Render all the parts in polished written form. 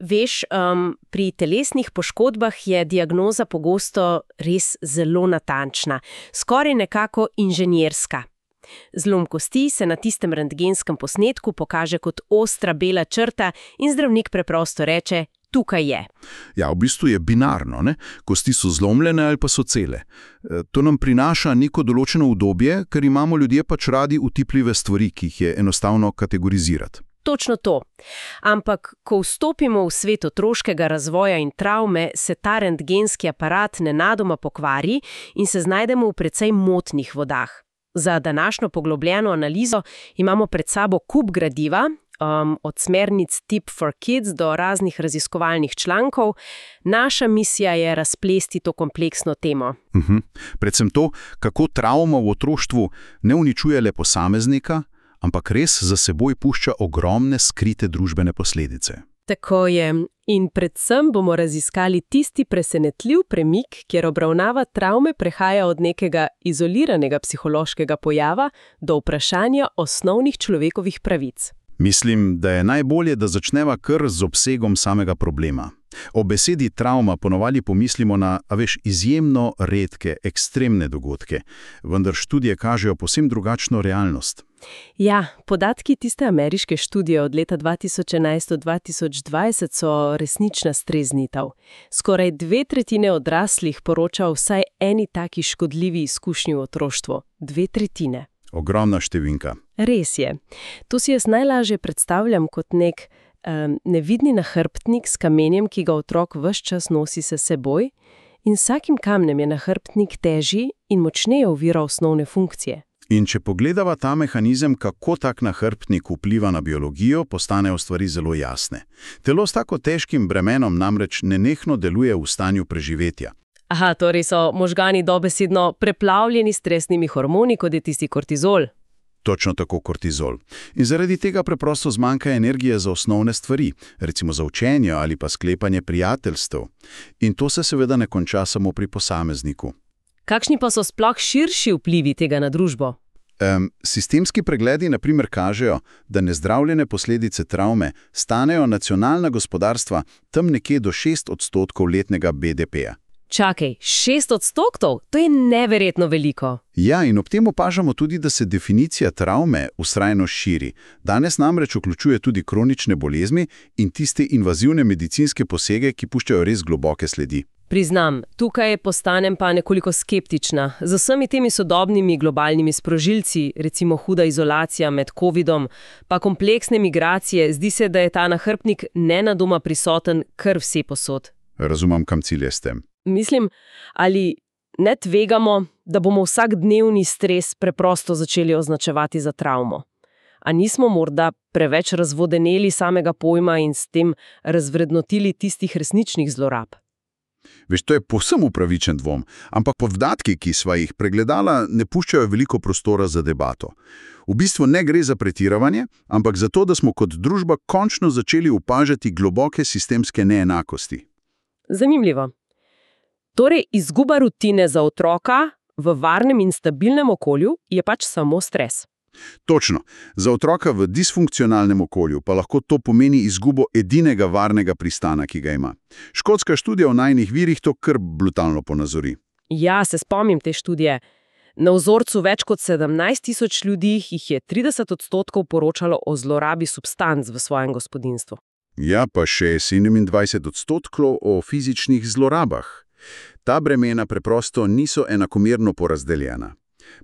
Veš, pri telesnih poškodbah je diagnoza pogosto res zelo natančna, skoraj nekako inženirska. Zlom kosti se na tistem rentgenskem posnetku pokaže kot ostra bela črta in zdravnik preprosto reče, tukaj je. Ja, v bistvu je binarno, ne? Kosti so zlomljene ali pa so cele. To nam prinaša neko določeno udobje, ker imamo ljudje pač radi utipljive stvari, ki jih je enostavno kategorizirati. Točno to. Ampak, ko vstopimo v svet otroškega razvoja in travme, se ta rentgenski aparat nenadoma pokvari in se znajdemo v precej motnih vodah. Za današnjo poglobljeno analizo imamo pred sabo kup gradiva, od smernic Tip for Kids do raznih raziskovalnih člankov. Naša misija je razplesti to kompleksno temo. Predvsem to, kako travma v otroštvu ne uničuje le posameznika, ampak res za seboj pušča ogromne skrite družbene posledice. Tako je. In predvsem bomo raziskali tisti presenetljiv premik, kjer obravnava travme prehaja od nekega izoliranega psihološkega pojava do vprašanja osnovnih človekovih pravic. Mislim, da je najbolje, da začneva kar z obsegom samega problema. O besedi travma ponovadi pomislimo na, izjemno redke, ekstremne dogodke, vendar študije kažejo povsem drugačno realnost. Ja, podatki tiste ameriške študije od leta 2011 do 2020 so resnična streznitev. Skoraj 2/3 odraslih poroča o vsaj eni taki škodljivi izkušnji v otroštvu. 2/3. Ogromna številka. Res je. To si jaz najlažje predstavljam kot nek nevidni nahrbtnik s kamenjem, ki ga otrok ves čas nosi s seboj, in vsakim kamnem je nahrbtnik težji in močneje ovira osnovne funkcije. In če pogledava ta mehanizem, kako tak nahrbtnik vpliva na biologijo, postanejo stvari zelo jasne. Telo s tako težkim bremenom namreč nenehno deluje v stanju preživetja. Aha, torej so možgani dobesedno preplavljeni s stresnimi hormoni, kot je tisti kortizol. Točno tako kortizol. In zaradi tega preprosto zmanjka energije za osnovne stvari, recimo za učenje ali pa sklepanje prijateljstev. In to se seveda ne konča samo pri posamezniku. Kakšni pa so sploh širši vplivi tega na družbo? Sistemski pregledi na primer kažejo, da nezdravljene posledice travme stanejo nacionalna gospodarstva tam nekje do 6% letnega BDP-ja. Čakaj, 6%? To je neverjetno veliko. Ja, in ob tem opažamo tudi, da se definicija travme vztrajno širi. Danes namreč vključuje tudi kronične bolezni in tiste invazivne medicinske posege, ki puščajo res globoke sledi. Priznam, tukaj postanem pa nekoliko skeptična. Z vsemi temi sodobnimi globalnimi sprožilci, recimo huda izolacija med covidom, pa kompleksne migracije, zdi se, da je ta nahrbtnik nenadoma prisoten kar vsepovsod. Razumem, kam cilje s tem. Mislim, ali ne tvegamo, da bomo vsakdnevni stres preprosto začeli označevati za travmo? A nismo morda preveč razvodeneli samega pojma in s tem razvrednotili tistih resničnih zlorab? Veš, to je povsem upravičen dvom, ampak podatki, ki sva jih pregledala, ne puščajo veliko prostora za debato. V bistvu ne gre za pretiravanje, ampak za to, da smo kot družba končno začeli opažati globoke sistemske neenakosti. Zanimivo. Torej, izguba rutine za otroka v varnem in stabilnem okolju je pač samo stres. Točno. Za otroka v disfunkcionalnem okolju pa lahko to pomeni izgubo edinega varnega pristana, ki ga ima. Škotska študija o najnih virih to kar brutalno ponazori. Ja, se spomnim te študije. Na vzorcu več kot 17.000 ljudi jih je 30% poročalo o zlorabi substanc v svojem gospodinjstvu. Ja, pa še 27% o fizičnih zlorabah. Ta bremena preprosto niso enakomerno porazdeljena.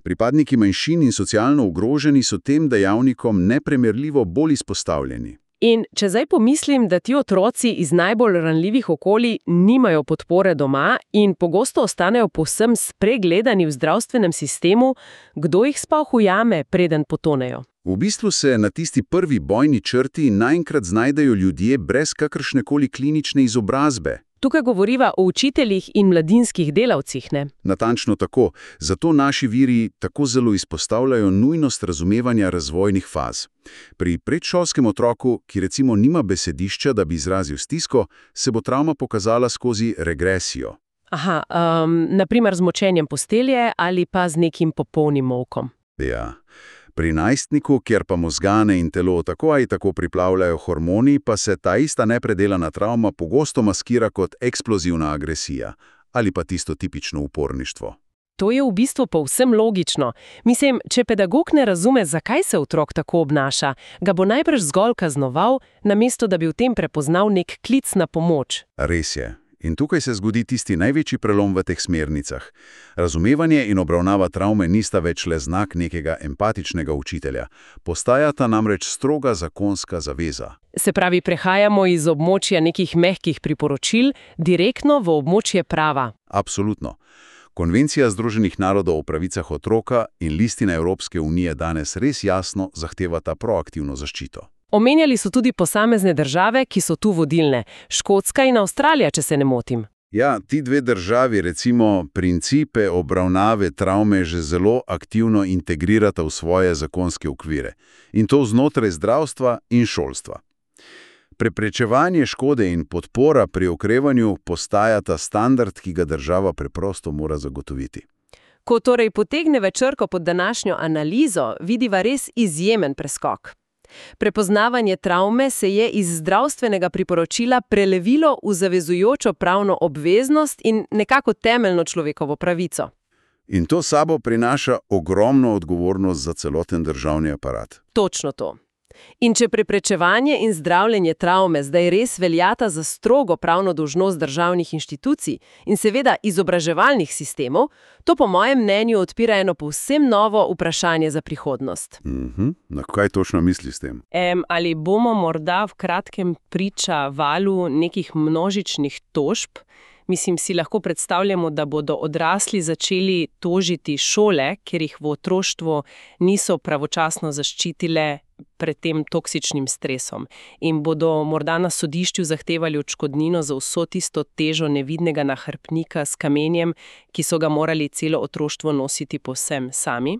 Pripadniki manjšin in socialno ogroženi so tem dejavnikom neprimerljivo bolj izpostavljeni. In če zdaj pomislim, da ti otroci iz najbolj ranljivih okolij nimajo podpore doma in pogosto ostanejo povsem spregledani v zdravstvenem sistemu, kdo jih sploh ujame, preden potonejo? V bistvu se na tisti prvi bojni črti naenkrat znajdejo ljudje brez kakršnekoli klinične izobrazbe. Tukaj govoriva o učiteljih in mladinskih delavcih, ne? Natančno tako. Zato naši viri tako zelo izpostavljajo nujnost razumevanja razvojnih faz. Pri predšolskem otroku, ki recimo nima besedišča, da bi izrazil stisko, se bo travma pokazala skozi regresijo. Aha, naprimer z močenjem postelje ali pa z nekim popolnim molkom. Ja. Pri najstniku, kjer pa možgane in telo tako ali tako priplavljajo hormoni, pa se ta ista nepredelana travma pogosto maskira kot eksplozivna agresija ali pa tisto tipično uporništvo. To je v bistvu povsem logično. Mislim, če pedagog ne razume, zakaj se otrok tako obnaša, ga bo najbrž zgolj kaznoval, namesto da bi v tem prepoznal nek klic na pomoč. Res je. In tukaj se zgodi tisti največji prelom v teh smernicah. Razumevanje in obravnava travme nista več le znak nekega empatičnega učitelja. Postajata namreč stroga zakonska zaveza. Se pravi, prehajamo iz območja nekih mehkih priporočil direktno v območje prava. Absolutno. Konvencija Združenih narodov o pravicah otroka in listina Evropske unije danes res jasno zahtevata proaktivno zaščito. Omenjali so tudi posamezne države, ki so tu vodilne. Škotska in Avstralija, če se ne motim. Ja, ti dve državi recimo principe obravnave travme že zelo aktivno integrirata v svoje zakonske okvire. In to znotraj zdravstva in šolstva. Preprečevanje škode in podpora pri okrevanju postajata standard, ki ga država preprosto mora zagotoviti. Ko torej potegneva črko pod današnjo analizo, vidiva res izjemen preskok. Prepoznavanje travme se je iz zdravstvenega priporočila prelevilo v zavezujočo pravno obveznost in nekako temeljno človekovo pravico. In to sabo prinaša ogromno odgovornost za celoten državni aparat. Točno to. In če preprečevanje in zdravljenje travme zdaj res veljata za strogo pravno dolžnost državnih inštitucij in seveda izobraževalnih sistemov, to po mojem mnenju odpira eno povsem novo vprašanje za prihodnost. Na kaj točno misliš s tem? Ali bomo morda v kratkem priča valu nekih množičnih tožb? Mislim, si lahko predstavljamo, da bodo odrasli začeli tožiti šole, ker jih v otroštvu niso pravočasno zaščitile pred tem toksičnim stresom in bodo morda na sodišču zahtevali odškodnino za vso tisto težo nevidnega nahrbtnika s kamenjem, ki so ga morali celo otroštvo nositi povsem sami.